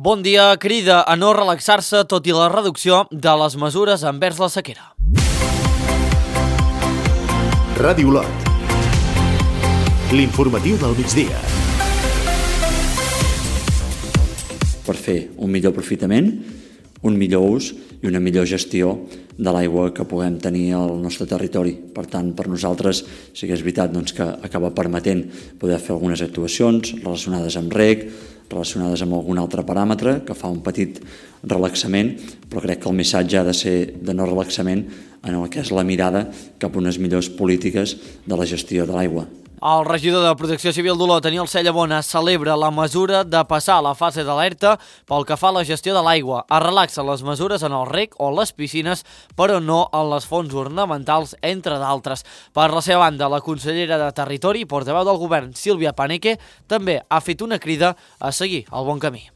Bon dia, crida a no relaxar-se tot i la reducció de les mesures envers la sequera. Ràdio Lot. L'informatiu del migdia. Per fer un millor aprofitament, un millor ús i una millor gestió de l'aigua que puguem tenir al nostre territori. Per tant, per nosaltres sí que és veritat que acaba permetent poder fer algunes actuacions relacionades amb reg, relacionades amb algun altre paràmetre que fa un petit relaxament, però crec que el missatge ha de ser de no relaxament en el que és la mirada cap a unes millors polítiques de la gestió de l'aigua. El regidor de Protecció Civil d'Olot, Daniel Cellabona, celebra la mesura de passar a la fase d'alerta pel que fa a la gestió de l'aigua. Es relaxen les mesures en el reg o les piscines, però no en les fonts ornamentals, entre d'altres. Per la seva banda, la consellera de Territori i portaveu del govern, Sílvia Paneque, també ha fet una crida a seguir el bon camí.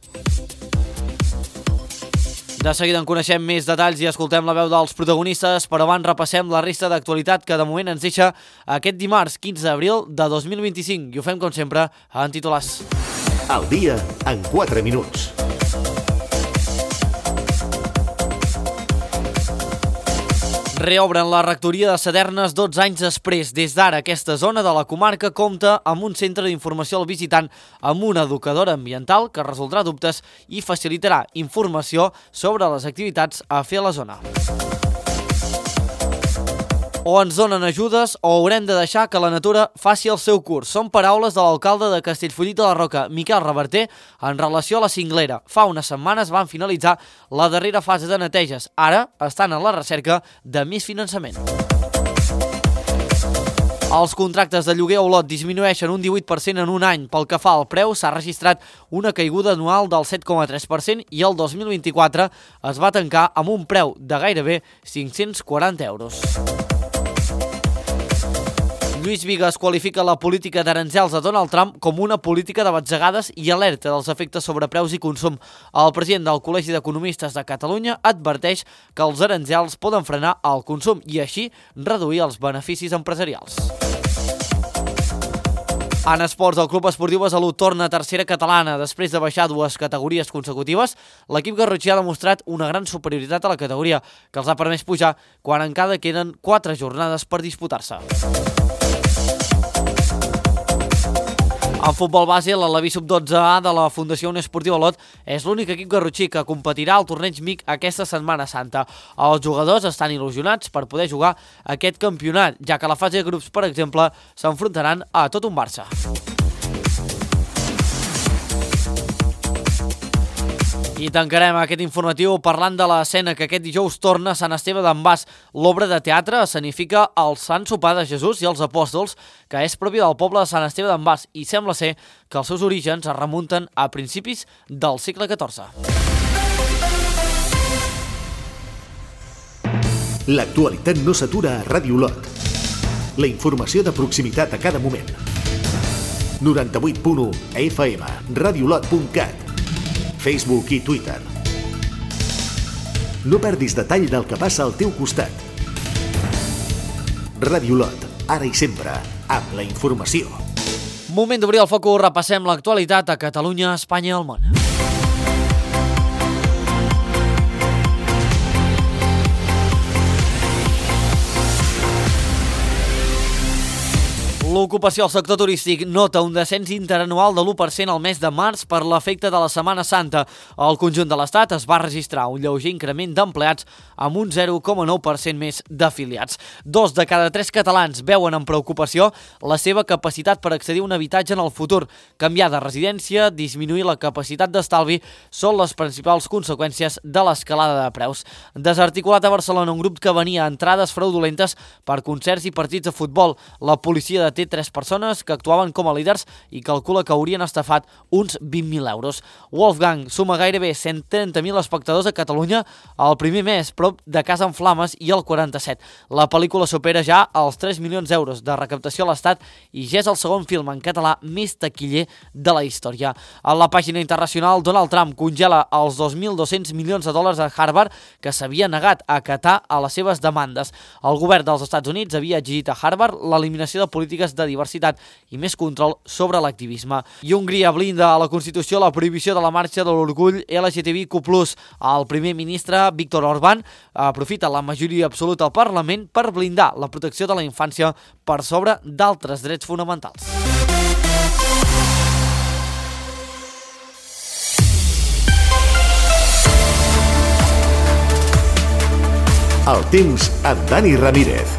De seguida en coneixem més detalls i escoltem la veu dels protagonistes, però abans repassem la resta d'actualitat que de moment ens deixa aquest dimarts 15 d'abril de 2025 i ho fem com sempre en titulars. Al dia en 4 minuts. Reobren la rectoria de Sadernes 12 anys després. Des d'ara, aquesta zona de la comarca compta amb un centre d'informació al visitant, amb una educadora ambiental que resoldrà dubtes i facilitarà informació sobre les activitats a fer a la zona. O ens donen ajudes o haurem de deixar que la natura faci el seu curs. Són paraules de l'alcalde de Castellfollit de la Roca, Miquel Reverter, en relació a la cinglera. Fa unes setmanes van finalitzar la darrera fase de neteges. Ara estan en la recerca de més finançament. Els contractes de lloguer a Olot disminueixen un 18% en un any. Pel que fa al preu, s'ha registrat una caiguda anual del 7,3% i el 2024 es va tancar amb un preu de gairebé 540 euros. Lluís Bigues qualifica la política d'aranzels de Donald Trump com una política de batzegades i alerta dels efectes sobre preus i consum. El president del Col·legi d'Economistes de Catalunya adverteix que els aranzels poden frenar el consum i així reduir els beneficis empresarials. En esports, el Club Esportiu Besalú torna a tercera catalana. Després de baixar 2 categories consecutives, l'equip garrotxí ha demostrat una gran superioritat a la categoria, que els ha permès pujar quan encara queden 4 jornades per disputar-se. En futbol base, l'Alaví Sub-12A de la Fundació Unió Esportiva Olot és l'únic equip garrotxí que competirà al torneig MIC aquesta Setmana Santa. Els jugadors estan il·lusionats per poder jugar aquest campionat, ja que a la fase de grups, per exemple, s'enfrontaran a tot un Barça. I tancarem aquest informatiu parlant de l'escena que aquest dijous torna a Sant Esteve d'en Bas. L'obra de teatre escenifica el Sant Sopar de Jesús i els Apòstols, que és propi del poble de Sant Esteve d'en Bas i sembla ser que els seus orígens es remunten a principis del segle XIV. L'actualitat no s'atura a Ràdio Lot. La informació de proximitat a cada moment. 98.1 FM, radiolot.cat, Facebook i Twitter. No perdis detall del que passa al teu costat. Ràdio Lot, ara i sempre, amb la informació. Moment d'obrir el focus, repassem l'actualitat a Catalunya, Espanya i el món. L'ocupació al sector turístic nota un descens interanual de l'1% al mes de març per l'efecte de la Setmana Santa. Al conjunt de l'Estat es va registrar un lleuger increment d'empleats amb un 0,9% més d'afiliats. 2 de cada 3 catalans veuen amb preocupació la seva capacitat per accedir a un habitatge en el futur. Canviar de residència, disminuir la capacitat d'estalvi són les principals conseqüències de l'escalada de preus. Desarticulat a Barcelona un grup que venia a entrades fraudulentes per concerts i partits de futbol. La policia deté 3 persones que actuaven com a líders i calcula que haurien estafat uns 20.000 euros. Wolfgang suma gairebé 130.000 espectadors a Catalunya el primer mes, prop de Casa en Flames i el 47. La pel·lícula supera ja els 3 milions d'euros de recaptació a l'Estat i ja és el segon film en català més taquiller de la història. A la pàgina internacional, Donald Trump congela els 2.200 milions de dòlars a Harvard que s'havia negat a acatar a les seves demandes. El govern dels Estats Units havia exigit a Harvard l'eliminació de polítiques de diversitat i més control sobre l'activisme. I Hongria blinda a la Constitució la prohibició de la marxa de l'orgull LGTBIQ+. El primer ministre Viktor Orbán aprofita la majoria absoluta al Parlament per blindar la protecció de la infància per sobre d'altres drets fonamentals. El temps amb Dani Ramírez.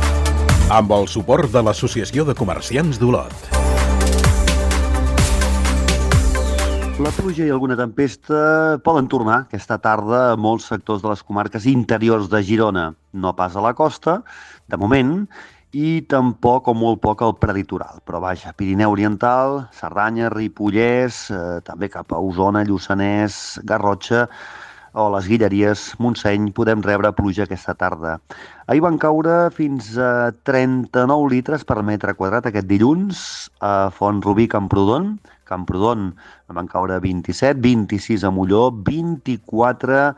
Amb el suport de l'Associació de Comerciants d'Olot. La pluja i alguna tempesta poden tornar aquesta tarda a molts sectors de les comarques interiors de Girona. No pas a la costa, de moment, i tampoc o molt poc al prelitoral. Però vaja, Pirineu Oriental, Cerdanya, Ripollès, també cap a Osona, Lluçanès, Garrotxa, o les Guilleries, Montseny, podem rebre pluja aquesta tarda. Ahir van caure fins a 39 litres per metre quadrat aquest dilluns a Font-rubí, Camprodon. Camprodon van caure 27, 26 a Molló, 24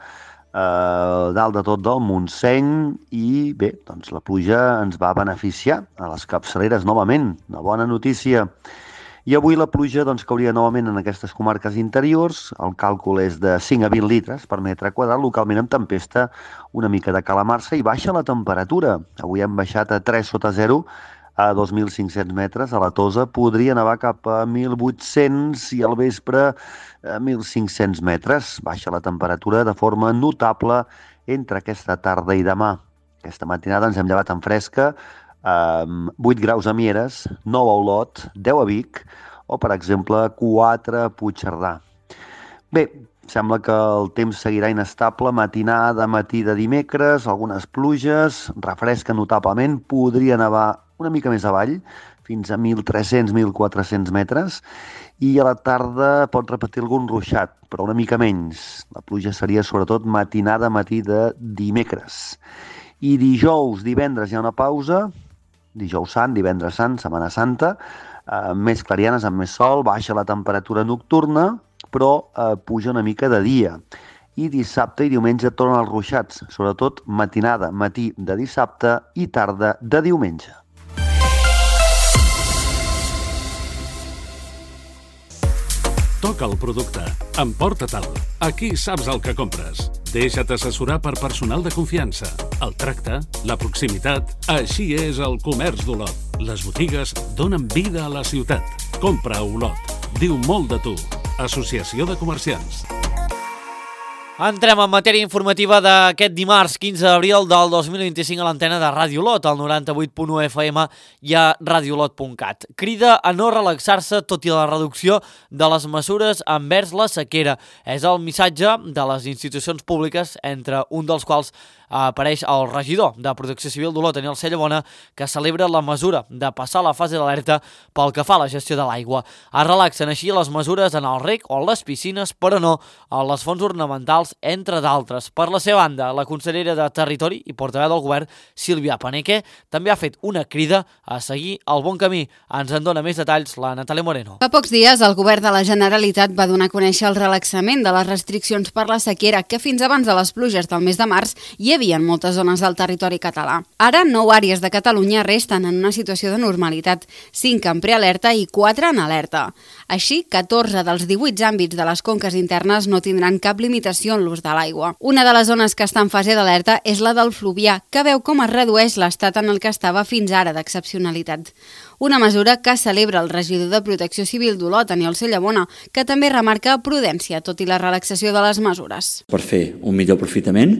dalt de tot del Montseny i bé, doncs la pluja ens va beneficiar a les capçaleres novament. Una bona notícia. I avui la pluja cauria novament en aquestes comarques interiors. El càlcul és de 5 a 20 litres per metre quadrat, localment amb tempesta, una mica de calamarsa i baixa la temperatura. Avui hem baixat a 3 sota 0 a 2.500 metres. A la Tosa podria nevar cap a 1.800 i al vespre a 1.500 metres. Baixa la temperatura de forma notable entre aquesta tarda i demà. Aquesta matinada ens hem llevat en fresca, 8 graus a Mieres, 9 a Olot, 10 a Vic o, per exemple, 4 a Puigcerdà. Bé, sembla que el temps seguirà inestable, matinada, matí de dimecres, algunes pluges, refresca notablement, podria nevar una mica més avall, fins a 1.300-1.400 metres, i a la tarda pot repetir algun ruixat, però una mica menys. La pluja seria sobretot matinada, matí de dimecres. I dijous, divendres hi ha una pausa, dijous sant, divendres sant, Setmana Santa, més clarianes amb més sol, baixa la temperatura nocturna, però puja una mica de dia. I dissabte i diumenge tornen els ruixats, sobretot matinada, matí de dissabte i tarda de diumenge. Toca el producte, emporta-te'l. Aquí saps el que compres. Deixa't assessorar per personal de confiança. El tracte, la proximitat, així és el comerç d'Olot. Les botigues donen vida a la ciutat. Compra a Olot. Diu molt de tu. Associació de Comerciants. Entrem en matèria informativa d'aquest dimarts 15 d'abril del 2025 a l'antena de Ràdio Olot, al 98.1 FM i a radiolot.cat. Crida a no relaxar-se tot i la reducció de les mesures envers la sequera. És el missatge de les institucions públiques, entre un dels quals apareix el regidor de Protecció Civil d'Olot, Daniel Cellabona, que celebra la mesura de passar la fase d'alerta pel que fa a la gestió de l'aigua. Es relaxen així les mesures en el rec o les piscines, però no a les fonts ornamentals, entre d'altres. Per la seva banda, la consellera de Territori i portaveu del govern, Sílvia Paneque, també ha fet una crida a seguir el bon camí. Ens en dona més detalls la Natàlia Moreno. Fa pocs dies, el govern de la Generalitat va donar a conèixer el relaxament de les restriccions per la sequera que fins abans de les pluges del mes de març hi havia en moltes zones del territori català. Ara, 9 àrees de Catalunya resten en una situació de normalitat, 5 en prealerta i 4 en alerta. Així, 14 dels 18 àmbits de les conques internes no tindran cap limitació en l'ús de l'aigua. Una de les zones que està en fase d'alerta és la del Fluvià, que veu com es redueix l'estat en el que estava fins ara d'excepcionalitat. Una mesura que celebra el regidor de Protecció Civil d'Olot, Daniel Cellabona, que també remarca prudència, tot i la relaxació de les mesures. Per fer un millor aprofitament,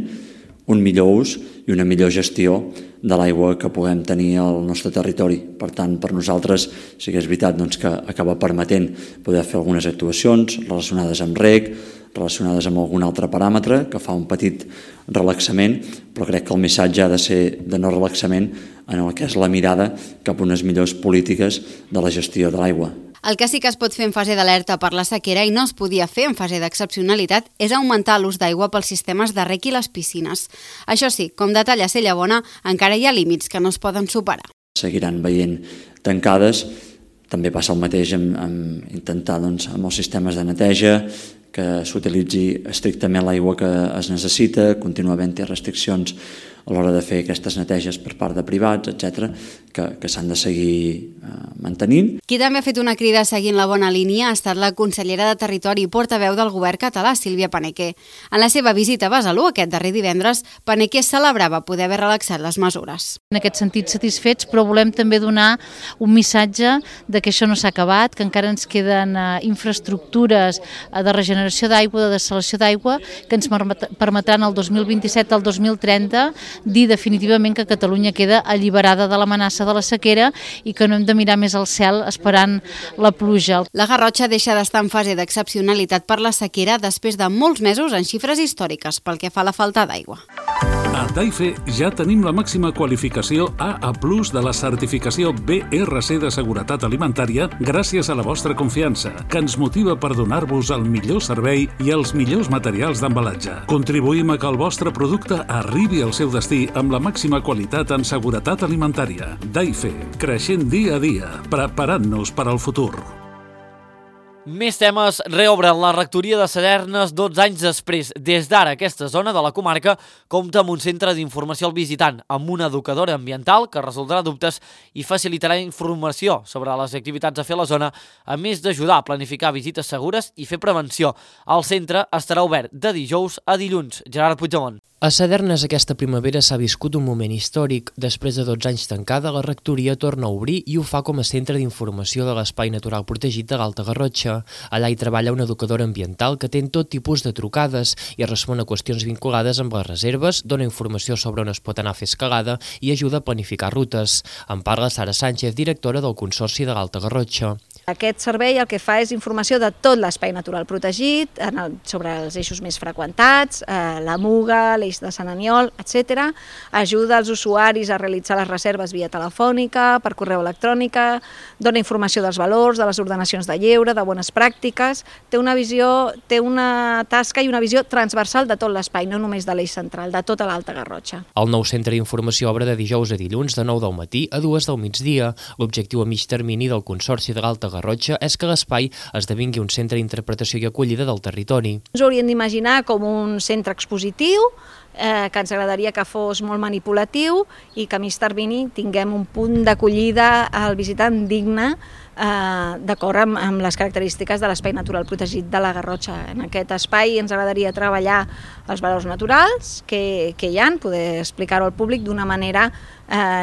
un millor ús i una millor gestió de l'aigua que puguem tenir al nostre territori. Per tant, per nosaltres sí que és veritat que acaba permetent poder fer algunes actuacions relacionades amb reg, relacionades amb algun altre paràmetre, que fa un petit relaxament, però crec que el missatge ha de ser de no relaxament en el que és la mirada cap a unes millors polítiques de la gestió de l'aigua. El que sí que es pot fer en fase d'alerta per la sequera i no es podia fer en fase d'excepcionalitat és augmentar l'ús d'aigua pels sistemes de rec i les piscines. Això sí, com detalla Cellabona, encara hi ha límits que no es poden superar. Seguiran veient tancades. També passa el mateix amb intentar amb els sistemes de neteja, que s'utilitzi estrictament l'aigua que es necessita, continua havent-hi restriccions a l'hora de fer aquestes neteges per part de privats, etc., que s'han de seguir mantenint. Qui també ha fet una crida seguint la bona línia ha estat la consellera de Territori i portaveu del govern català, Sílvia Paneque. En la seva visita a Besalú aquest darrer divendres, Paneque celebrava poder haver relaxat les mesures. En aquest sentit satisfets, però volem també donar un missatge de que això no s'ha acabat, que encara ens queden infraestructures de regeneració d'aigua, de dessalació d'aigua, que ens permetran el 2027 al 2030 dir definitivament que Catalunya queda alliberada de l'amenaça de la sequera i que no hem de mirar més al cel esperant la pluja. La Garrotxa deixa d'estar en fase d'excepcionalitat per la sequera després de molts mesos en xifres històriques pel que fa a la falta d'aigua. A Daife ja tenim la màxima qualificació AA+ de la certificació BRC de seguretat alimentària gràcies a la vostra confiança, que ens motiva per donar-vos el millor servei i els millors materials d'embalatge. Contribuïm a que el vostre producte arribi al seu destí amb la màxima qualitat en seguretat alimentària. Daife, creixent dia a dia, preparant-nos per al futur. Més temes. Reobre la rectoria de Sadernes 12 anys després. Des d'ara, aquesta zona de la comarca compta amb un centre d'informació al visitant, amb una educadora ambiental que resoldrà dubtes i facilitarà informació sobre les activitats a fer a la zona, a més d'ajudar a planificar visites segures i fer prevenció. El centre estarà obert de dijous a dilluns. Gerard Puigdemont. A Sadernes aquesta primavera s'ha viscut un moment històric. Després de 12 anys tancada, la rectoria torna a obrir i ho fa com a centre d'informació de l'Espai Natural Protegit de l'Alta Garrotxa. Allà hi treballa una educadora ambiental que atén tot tipus de trucades i respon a qüestions vinculades amb les reserves, dona informació sobre on es pot anar a fer escalada i ajuda a planificar rutes. En parla Sara Sánchez, directora del Consorci de l'Alta Garrotxa. Aquest servei el que fa és informació de tot l'espai natural protegit, sobre els eixos més freqüentats, la Muga, l'eix de Sant Aniol, etc. Ajuda els usuaris a realitzar les reserves via telefònica, per correu electrònica, dona informació dels valors, de les ordenacions de lleure, de bones pràctiques, té una tasca i una visió transversal de tot l'espai, no només de l'eix central, de tota l'Alta Garrotxa. El nou centre d'informació obre de dijous a dilluns de 9 del matí a 2 del migdia. L'objectiu a mig termini del Consorci de l'Alta Garrotxa és que l'espai esdevingui un centre d'interpretació i acollida del territori. Ens ho hauríem d'imaginar com un centre expositiu, que ens agradaria que fos molt manipulatiu i que a mig termini tinguem un punt d'acollida al visitant digne, d'acord amb les característiques de l'Espai Natural Protegit de la Garrotxa. En aquest espai ens agradaria treballar els valors naturals que hi ha, poder explicar-ho al públic d'una manera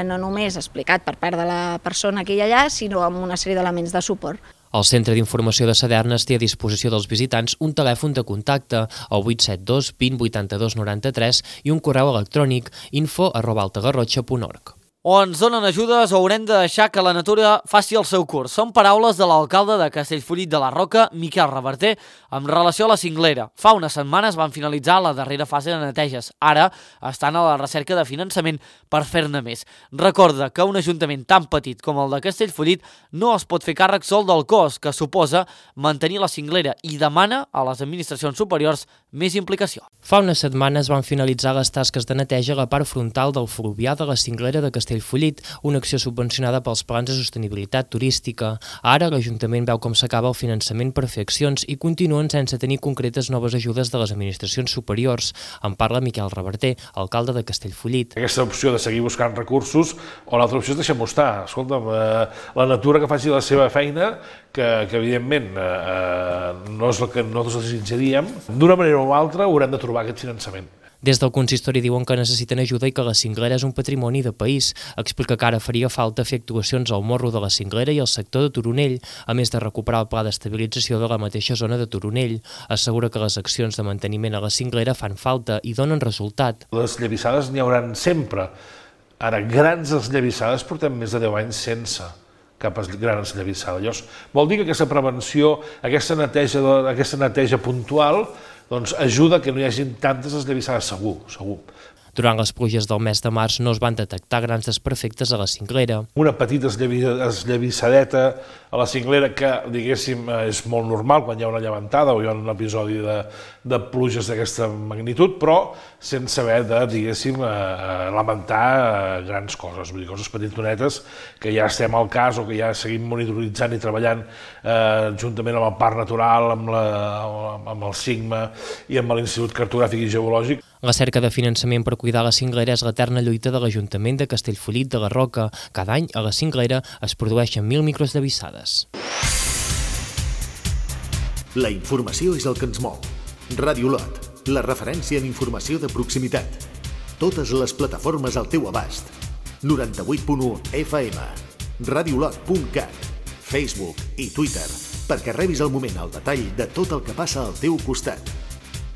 no només explicat per part de la persona que hi ha allà, sinó amb una sèrie d'elements de suport. El Centre d'Informació de Sadernes té a disposició dels visitants un telèfon de contacte, el 872 20 82 93 i un correu electrònic info@altagarrotxa.org. O ens donen ajudes o haurem de deixar que la natura faci el seu curs. Són paraules de l'alcalde de Castellfollit de la Roca, Miquel Reverter, amb relació a la cinglera. Fa unes setmanes van finalitzar la darrera fase de neteges. Ara estan a la recerca de finançament per fer-ne més. Recorda que un ajuntament tan petit com el de Castellfollit no es pot fer càrrec sol del cost que suposa mantenir la cinglera i demana a les administracions superiors més implicació. Fa unes setmanes van finalitzar les tasques de neteja a la part frontal del fluvià de la cinglera de Castellfollit, una acció subvencionada pels plans de sostenibilitat turística. Ara l'Ajuntament veu com s'acaba el finançament per fer accions i continuen sense tenir concretes noves ajudes de les administracions superiors. En parla Miquel Reverter, alcalde de Castellfollit. Aquesta opció de seguir buscant recursos o l'altra opció és deixar-m'ho estar. Escolta'm, la natura que faci la seva feina, que evidentment no és el que nosaltres desitjaríem, d'una manera o altra haurem de trobar aquest finançament. Des del consistori diuen que necessiten ajuda i que la cinglera és un patrimoni de país. Explica que ara faria falta fer actuacions al morro de la cinglera i al sector de Toronell, a més de recuperar el pla d'estabilització de la mateixa zona de Toronell. Assegura que les accions de manteniment a la cinglera fan falta i donen resultat. Les esllavissades n'hi hauran sempre. Ara, grans esllavissades portem més de 10 anys sense cap gran esllavissada. Llavors, vol dir que aquesta prevenció, aquesta neteja puntual, doncs ajuda que no hi hagi tantes esllavissades, segur. Durant les pluges del mes de març no es van detectar grans desperfectes a la cinglera. Una petita eslavissadeta a la cinglera que, diguéssim, és molt normal quan hi ha una llevantada o hi ha un episodi de pluges d'aquesta magnitud, però sense haver de, diguéssim, lamentar grans coses, vull dir, coses petitonetes que ja estem al cas o que ja seguim monitoritzant i treballant juntament amb el Parc Natural, amb el SIGMA i amb l'Institut Cartogràfic i Geològic. La cerca de finançament per cuidar la cinglera és l'eterna lluita de l'Ajuntament de Castellfollit de la Roca. Cada any a la cinglera es produeixen 1.000 micros de vissades. La informació és el que ens mou. Ràdio Lot, la referència en informació de proximitat. Totes les plataformes al teu abast. 98.1 FM, radiolot.cat, Facebook i Twitter, perquè rebis al moment el detall de tot el que passa al teu costat.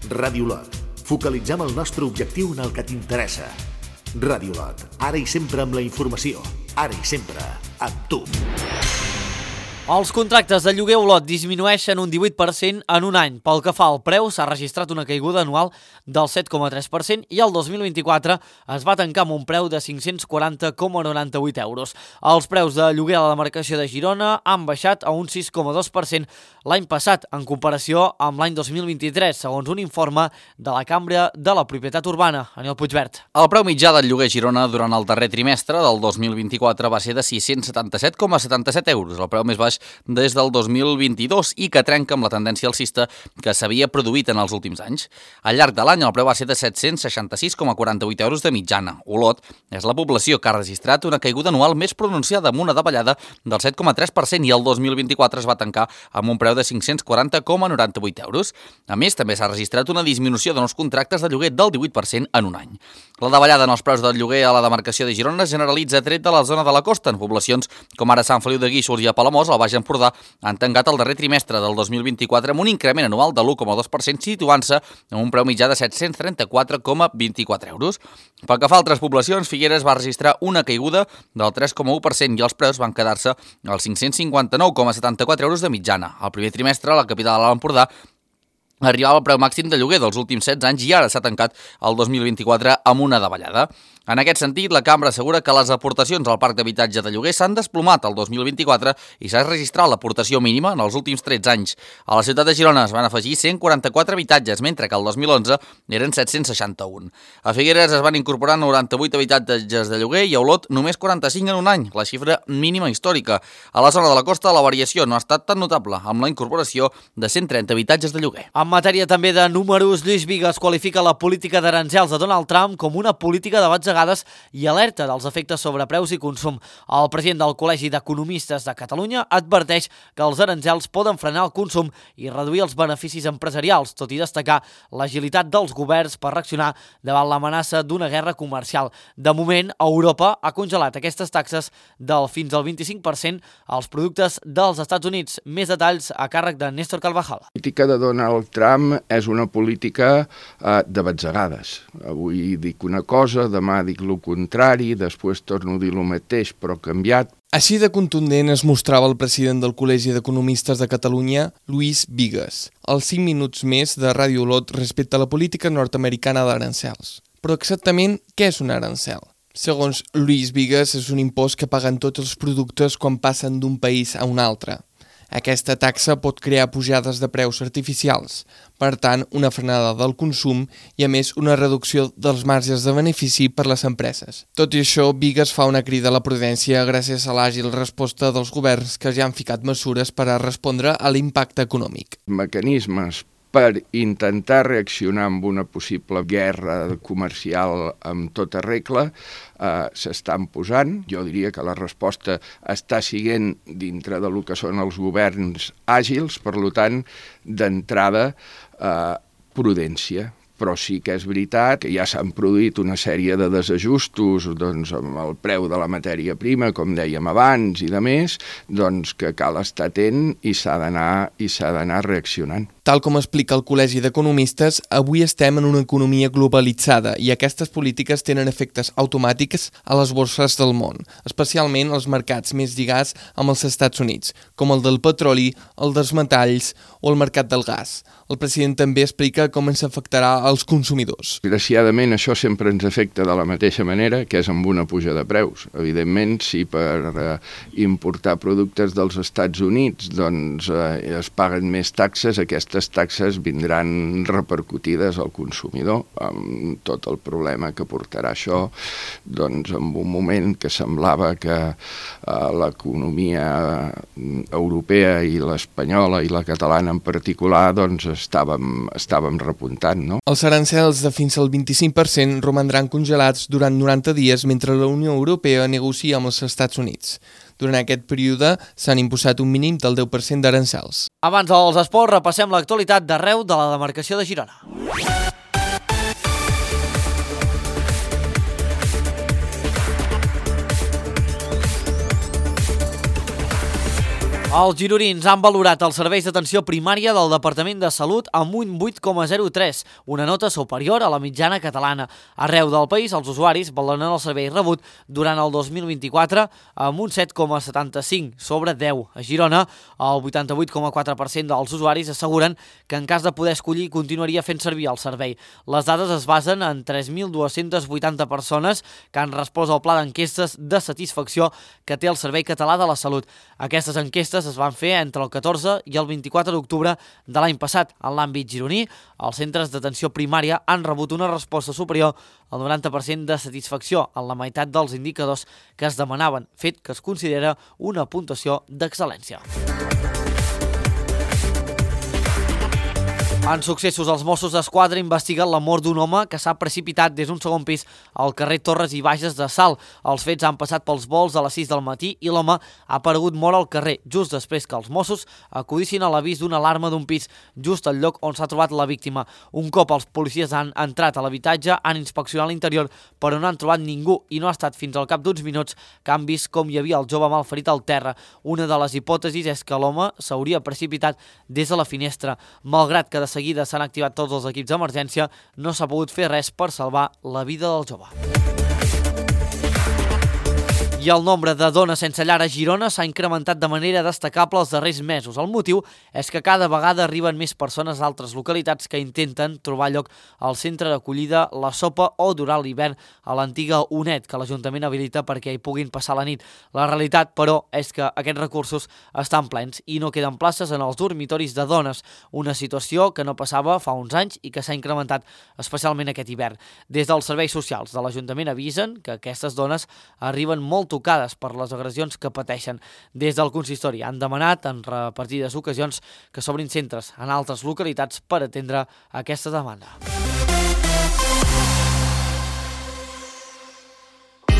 Ràdio Lot, focalitzem el nostre objectiu en el que t'interessa. Ràdio Lot, ara i sempre amb la informació, ara i sempre amb tu. Els contractes de lloguer Olot disminueixen un 18% en un any. Pel que fa al preu, s'ha registrat una caiguda anual del 7,3% i el 2024 es va tancar amb un preu de 540,98 euros. Els preus de lloguer a la demarcació de Girona han baixat a un 6,2% l'any passat, en comparació amb l'any 2023, segons un informe de la Cambra de la Propietat Urbana. Aniol Puigvert. El preu mitjà del lloguer a Girona durant el darrer trimestre del 2024 va ser de 677,77 euros, el preu més baix des del 2022 i que trenca amb la tendència alcista que s'havia produït en els últims anys. Al llarg de l'any el preu va ser de 766,48 euros de mitjana. Olot és la població que ha registrat una caiguda anual més pronunciada amb una davallada del 7,3% i el 2024 es va tancar amb un preu de 540,98 euros. A més, també s'ha registrat una disminució de nous contractes de lloguer del 18% en un any. La davallada en els preus del lloguer a la demarcació de Girona es generalitza tret de la zona de la costa, en poblacions com ara Sant Feliu de Guíxols i a Palamós, al Baix Empordà, han tancat el darrer trimestre del 2024 amb un increment anual de l'1,2%, situant-se en un preu mitjà de 734,24 euros. Pel que fa a altres poblacions, Figueres va registrar una caiguda del 3,1% i els preus van quedar-se als 559,74 euros de mitjana. Al primer trimestre, la capital de l'Empordà arribava al preu màxim de lloguer dels últims 16 anys i ara s'ha tancat el 2024 amb una davallada. En aquest sentit, la Cambra assegura que les aportacions al parc d'habitatge de lloguer s'han desplomat el 2024 i s'ha registrat l'aportació mínima en els últims 13 anys. A la ciutat de Girona es van afegir 144 habitatges, mentre que el 2011 eren 761. A Figueres es van incorporar 98 habitatges de lloguer i a Olot només 45 en un any, la xifra mínima històrica. A la zona de la costa la variació no ha estat tan notable, amb la incorporació de 130 habitatges de lloguer. En matèria també de números, Lluís Bigues qualifica la política d'aranzels de Donald Trump com una política de batzegades i alerta dels efectes sobre preus i consum. El president del Col·legi d'Economistes de Catalunya adverteix que els aranzels poden frenar el consum i reduir els beneficis empresarials, tot i destacar l'agilitat dels governs per reaccionar davant l'amenaça d'una guerra comercial. De moment, Europa ha congelat aquestes taxes del fins al 25% als productes dels Estats Units. Més detalls a càrrec de Néstor Carvajal. La política de Donald Trump és una política de batzegades. Avui dic una cosa, demà dic el contrari, després torno a dir el mateix, però canviat. Així de contundent es mostrava el president del Col·legi d'Economistes de Catalunya, Lluís Bigues, als 5 minuts més de Ràdio Lot respecte a la política nord-americana d'arancels. Però exactament què és un arancel? Segons Lluís Bigues, és un impost que paguen tots els productes quan passen d'un país a un altre. Aquesta taxa pot crear pujades de preus artificials, per tant, una frenada del consum i, a més, una reducció dels marges de benefici per les empreses. Tot i això, Bigues fa una crida a la prudència gràcies a l'àgil resposta dels governs que ja han ficat mesures per a respondre a l'impacte econòmic. Mecanismes per intentar reaccionar amb una possible guerra comercial amb tota regla s'estan posant. Jo diria que la resposta està siguent dintre del que són els governs àgils, per tant, d'entrada, prudència. Però sí que és veritat que ja s'han produït una sèrie de desajustos amb el preu de la matèria prima, com dèiem abans, i de més, que cal estar atent i s'ha d'anar reaccionant. Tal com explica el Col·legi d'Economistes, avui estem en una economia globalitzada i aquestes polítiques tenen efectes automàtics a les borses del món, especialment als mercats més lligats amb els Estats Units, com el del petroli, el dels metalls o el mercat del gas. El president també explica com ens afectarà als consumidors. Desgraciadament, això sempre ens afecta de la mateixa manera, que és amb una puja de preus. Evidentment, si per importar productes dels Estats Units es paguen més taxes, aquestes taxes vindran repercutides al consumidor, amb tot el problema que portarà això, en un moment que semblava que l'economia europea i l'espanyola i la catalana en particular estàvem repuntant, no? Els arancels de fins al 25% romandran congelats durant 90 dies mentre la Unió Europea negocia amb els Estats Units. Durant aquest període s'han imposat un mínim del 10% d'arancels. Abans dels esports, repassem l'actualitat d'arreu de la demarcació de Girona. Els gironins han valorat els serveis d'atenció primària del Departament de Salut amb un 8,03, una nota superior a la mitjana catalana. Arreu del país, els usuaris valoren el servei rebut durant el 2024 amb un 7,75 sobre 10. A Girona, el 88,4% dels usuaris asseguren que en cas de poder escollir continuaria fent servir el servei. Les dades es basen en 3.280 persones que han respost al pla d'enquestes de satisfacció que té el Servei Català de la Salut. Aquestes enquestes es van fer entre el 14 i el 24 d'octubre de l'any passat. En l'àmbit gironí, els centres d'atenció primària han rebut una resposta superior al 90% de satisfacció en la meitat dels indicadors que es demanaven, fet que es considera una puntuació d'excel·lència. En successos, els Mossos d'Esquadra investiguen la mort d'un home que s'ha precipitat des d'un segon pis al carrer Torres i Bages de Salt. Els fets han passat pels volts a les 6 del matí i l'home ha aparegut mort al carrer, just després que els Mossos acudissin a l'avís d'una alarma d'un pis, just al lloc on s'ha trobat la víctima. Un cop els policies han entrat a l'habitatge, han inspeccionat l'interior, però no han trobat ningú i no ha estat fins al cap d'uns minuts que han vist com hi havia el jove malferit al terra. Una de les hipòtesis és que l'home s'hauria precipitat des de la finestra. Malgrat que de seguida s'han activat tots els equips d'emergència, no s'ha pogut fer res per salvar la vida del jove. I el nombre de dones sense llar a Girona s'ha incrementat de manera destacable els darrers mesos. El motiu és que cada vegada arriben més persones d'altres localitats que intenten trobar lloc al centre d'acollida La Sopa o durant l'hivern a l'antiga UNED, que l'Ajuntament habilita perquè hi puguin passar la nit. La realitat, però, és que aquests recursos estan plens i no queden places en els dormitoris de dones, una situació que no passava fa uns anys i que s'ha incrementat especialment aquest hivern. Des dels serveis socials de l'Ajuntament avisen que aquestes dones arriben molt tocades per les agressions que pateixen. Des del consistori han demanat en repartides ocasions que s'obrin centres en altres localitats per atendre aquesta demanda.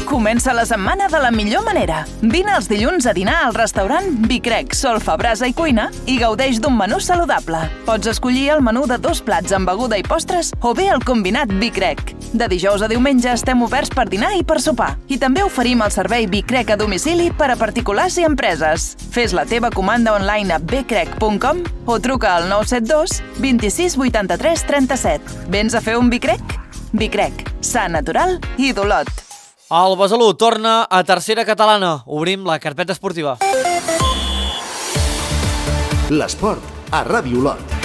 Comença la setmana de la millor manera. Vine els dilluns a dinar al restaurant Bicrec, Solfa, Brasa i Cuina i gaudeix d'un menú saludable. Pots escollir el menú de 2 plats amb beguda i postres o bé el combinat Bicrec. De dijous a diumenge estem oberts per dinar i per sopar. I també oferim el servei Bicrec a domicili per a particulars i empreses. Fes la teva comanda online a bcrec.com o truca al 972 26 83 37. Vens a fer un Bicrec? Bicrec, sa, natural i d'Olot. El Besalú torna a tercera catalana. Obrim la carpeta esportiva. L'esport a Ràdio Olot.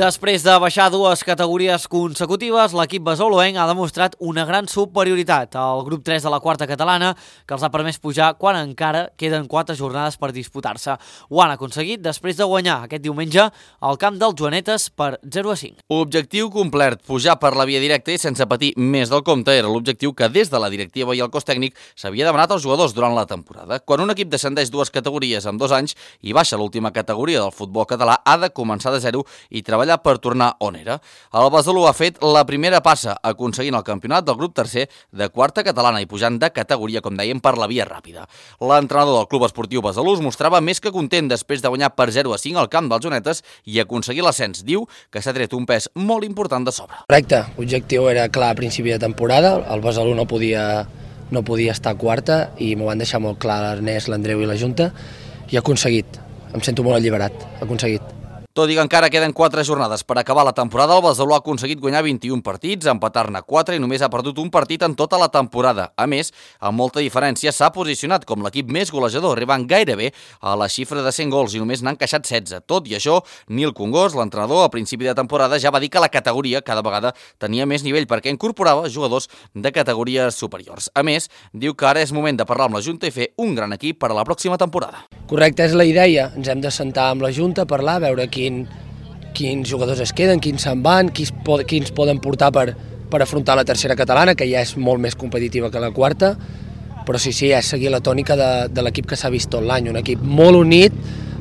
Després de baixar 2 categories consecutives, l'equip besoluenc ha demostrat una gran superioritat al grup 3 de la quarta catalana, que els ha permès pujar quan encara queden 4 jornades per disputar-se. Ho han aconseguit després de guanyar aquest diumenge al camp dels Joanetes per 0-5. Objectiu complert, pujar per la via directa i sense patir més del compte era l'objectiu que des de la directiva i el cos tècnic s'havia demanat als jugadors durant la temporada. Quan un equip descendeix 2 categories en 2 anys i baixa l'última categoria del futbol català, ha de començar de zero i treballar per tornar on era. El Besalú ha fet la primera passa aconseguint el campionat del grup tercer de quarta catalana i pujant de categoria, com dèiem, per la via ràpida. L'entrenador del Club Esportiu Besalú es mostrava més que content després de guanyar per 0-5 al camp dels Joanetes i aconseguir l'ascens. Diu que s'ha tret un pes molt important de sobre. Correcte, l'objectiu era clar a principi de temporada, el Besalú no podia estar quarta i m'ho van deixar molt clar l'Ernest, l'Andreu i la Junta i ha aconseguit. Em sento molt alliberat, ha aconseguit. Tot i que encara queden 4 jornades per acabar la temporada, el Besalú ha aconseguit guanyar 21 partits, empatar-ne 4 i només ha perdut un partit en tota la temporada. A més, amb molta diferència, s'ha posicionat com l'equip més golejador, arribant gairebé a la xifra de 100 gols i només n'han encaixat 16. Tot i això, Nil Congós, l'entrenador, a principi de temporada ja va dir que la categoria cada vegada tenia més nivell perquè incorporava jugadors de categories superiors. A més, diu que ara és moment de parlar amb la Junta i fer un gran equip per a la pròxima temporada. Correcte, és la idea. Ens hem de sentar amb la Junta, parlar, veure quins jugadors es queden, quins se'n van, quins poden portar per afrontar la tercera catalana, que ja és molt més competitiva que la quarta, però sí, és seguir la tònica de l'equip que s'ha vist tot l'any, un equip molt unit,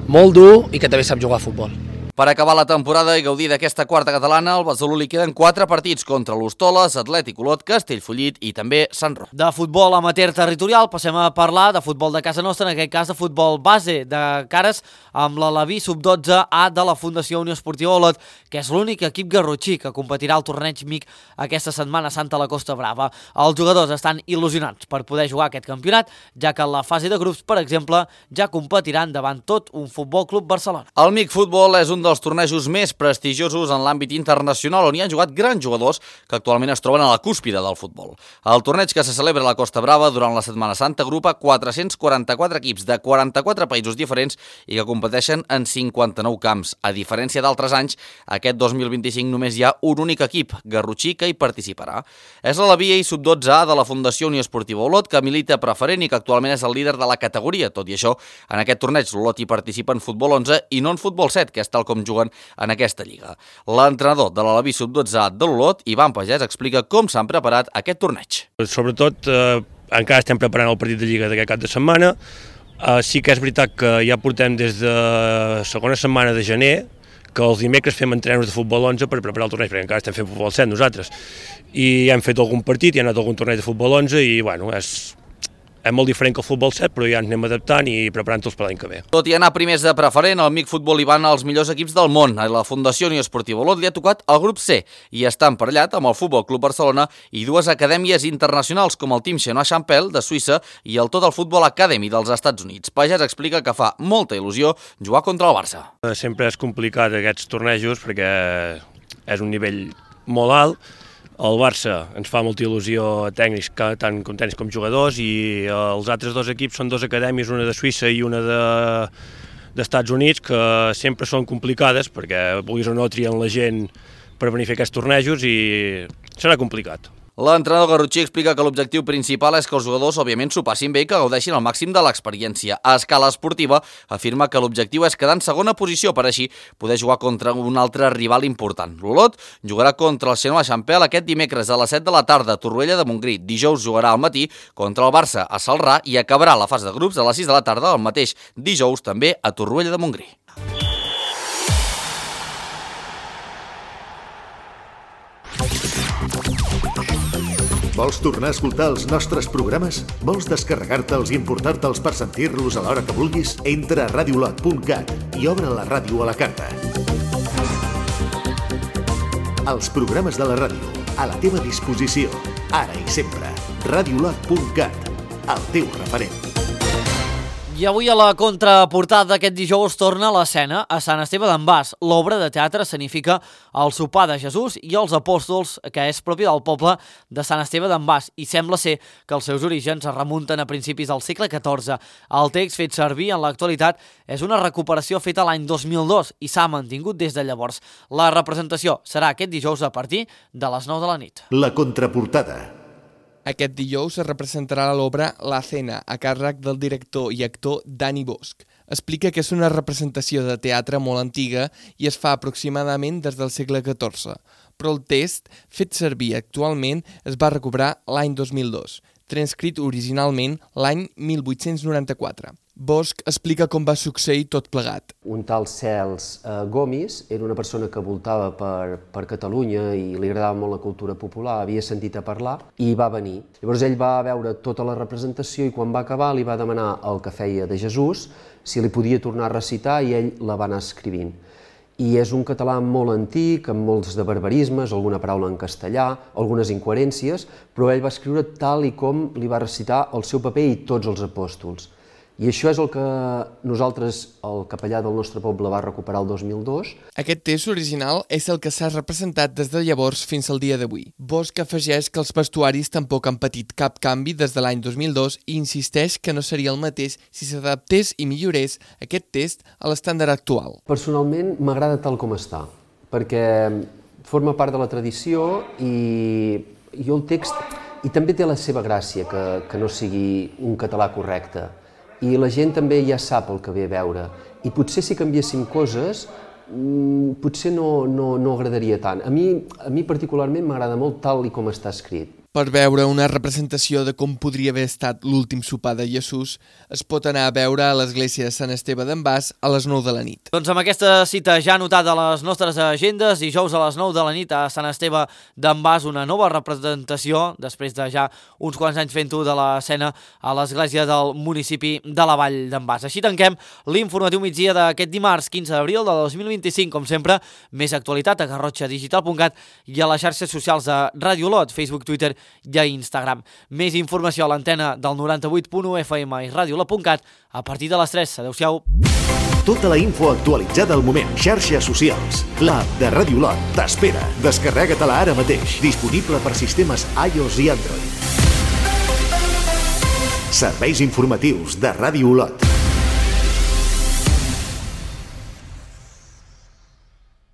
molt dur i que també sap jugar a futbol. Per acabar la temporada i gaudir d'aquesta quarta catalana, al Besalú li queden 4 partits contra l'Hostoles, Atlètic Olot, Castellfollit i també Sant Roc. De futbol amateur territorial passem a parlar de futbol de casa nostra, en aquest cas de futbol base de cares amb l'Alaví sub-12A de la Fundació Unió Esportiva Olot, que és l'únic equip garrotxí que competirà al torneig MIC aquesta Setmana Santa a la Costa Brava. Els jugadors estan il·lusionats per poder jugar aquest campionat, ja que en la fase de grups, per exemple, ja competiran davant tot un Futbol Club Barcelona. El MIC Futbol és un dels tornejos més prestigiosos en l'àmbit internacional on hi han jugat grans jugadors que actualment es troben a la cúspide del futbol. El torneig que se celebra a la Costa Brava durant la Setmana Santa agrupa 444 equips de 44 països diferents i que competeixen en 59 camps. A diferència d'altres anys, aquest 2025 només hi ha un únic equip, garrotxí, que hi participarà. És l'Alaví sub-12A de la Fundació Unió Esportiva Olot, que milita preferent i que actualment és el líder de la categoria. Tot i això, en aquest torneig l'Olot hi participa en futbol 11 i no en futbol 7, que és tal com juguen en aquesta lliga. L'entrenador de l'Alaví sub-12A de l'Olot, Ivan Pagès, explica com s'han preparat aquest torneig. Sobretot, encara estem preparant el partit de lliga d'aquest cap de setmana. Sí que és veritat que ja portem des de segona setmana de gener que els dimecres fem entrenos de futbol 11 per preparar el torneig, perquè encara estem fent futbol 7 nosaltres. I hem fet algun partit, hi ha anat algun torneig de futbol 11 i, bueno, és molt diferent que el futbol 7, però ja ens anem adaptant i preparant-los per l'any que ve. Tot i anar primers de preferent, el MIC Futbol hi van als millors equips del món. A la Fundació Unió Esportiva Olot li ha tocat el grup C i està emparellat amb el Futbol Club Barcelona i 2 acadèmies internacionals com el Team Chenois Champel de Suïssa i el Total Football Academy dels Estats Units. Pagès explica que fa molta il·lusió jugar contra el Barça. Sempre és complicat aquests tornejos perquè és un nivell molt alt. El Barça ens fa molta il·lusió a tècnics, tant com tècnics com jugadors, i els altres 2 equips són 2 acadèmies, una de Suïssa i una d'Estats Units, que sempre són complicades perquè vulguis o no trien la gent per venir a fer aquests tornejos i serà complicat. L'entrenador garrotxí explica que l'objectiu principal és que els jugadors òbviament s'ho passin bé i que gaudeixin al màxim de l'experiència. A escala esportiva afirma que l'objectiu és quedar en segona posició per així poder jugar contra un altre rival important. L'Olot jugarà contra el Chenois Champel aquest dimecres a les 7 de la tarda a Torroella de Montgrí. Dijous jugarà al matí contra el Barça a Celrà i acabarà la fase de grups a les 6 de la tarda el mateix dijous també a Torroella de Montgrí. Vols tornar a escoltar els nostres programes? Vols descarregar-te'ls i importar-te'ls per sentir-los a l'hora que vulguis? Entra a radiolot.cat i obre la ràdio a la carta. Els programes de la ràdio, a la teva disposició, ara i sempre. Radiolot.cat, el teu referent. I avui a la contraportada d'aquest dijous torna l'escena a Sant Esteve d'en Bas. L'obra de teatre escenifica el sopar de Jesús i els apòstols, que és propi del poble de Sant Esteve d'en Bas, i sembla ser que els seus orígens es remunten a principis del segle XIV. El text fet servir en l'actualitat és una recuperació feta l'any 2002 i s'ha mantingut des de llavors. La representació serà aquest dijous a partir de les 9 de la nit. La contraportada. Aquest dijous es representarà l'obra La Cena, a càrrec del director i actor Dani Bosch. Explica que és una representació de teatre molt antiga i es fa aproximadament des del segle XIV, però el text, fet servir actualment, es va recuperar l'any 2002, transcrit originalment l'any 1894. Bosch explica com va succeir tot plegat. Un tal Cels Gomis era una persona que voltava per Catalunya i li agradava molt la cultura popular, havia sentit a parlar i va venir. Llavors ell va veure tota la representació i quan va acabar li va demanar el que feia de Jesús si li podia tornar a recitar i ell la va anar escrivint. I és un català molt antic, amb molts de barbarismes, alguna paraula en castellà, algunes incoherències, però ell va escriure tal i com li va recitar el seu paper i tots els apòstols. I això és el que nosaltres, el capellà del nostre poble, va recuperar el 2002. Aquest test original és el que s'ha representat des de llavors fins al dia d'avui. Bosch afegeix que els vestuaris tampoc han patit cap canvi des de l'any 2002 i insisteix que no seria el mateix si s'adaptés i millorés aquest test a l'estàndard actual. Personalment m'agrada tal com està, perquè forma part de la tradició i el text i també té la seva gràcia que no sigui un català correcte. I la gent també ja sap el que ve a veure. I potser si canviéssim coses, potser no agradaria tant. A mi particularment m'agrada molt tal i com està escrit. Per veure una representació de com podria haver estat l'últim sopar de Jesús, es pot anar a veure a l'església de Sant Esteve d'en Bas a les 9 de la nit. Doncs amb aquesta cita ja anotada a les nostres agendes, dijous a les 9 de la nit a Sant Esteve d'en Bas, una nova representació, després de ja uns quants anys fent-ho de l'escena a l'església del municipi de la Vall d'en Bas. Així tanquem l'informatiu migdia d'aquest dimarts 15 d'abril de 2025. Com sempre, més actualitat a garrotxadigital.cat i a les xarxes socials de Ràdio Olot, Facebook, Twitter i a Instagram. Més informació a l'antena del 98.1 FM i radioolot.cat a partir de les 3. Adéu-siau. Tota la info actualitzada al moment. Xarxes socials. L'app de Ràdio Olot t'espera. Descarrega-te-la ara mateix. Disponible per sistemes iOS i Android. Serveis informatius de Ràdio Olot.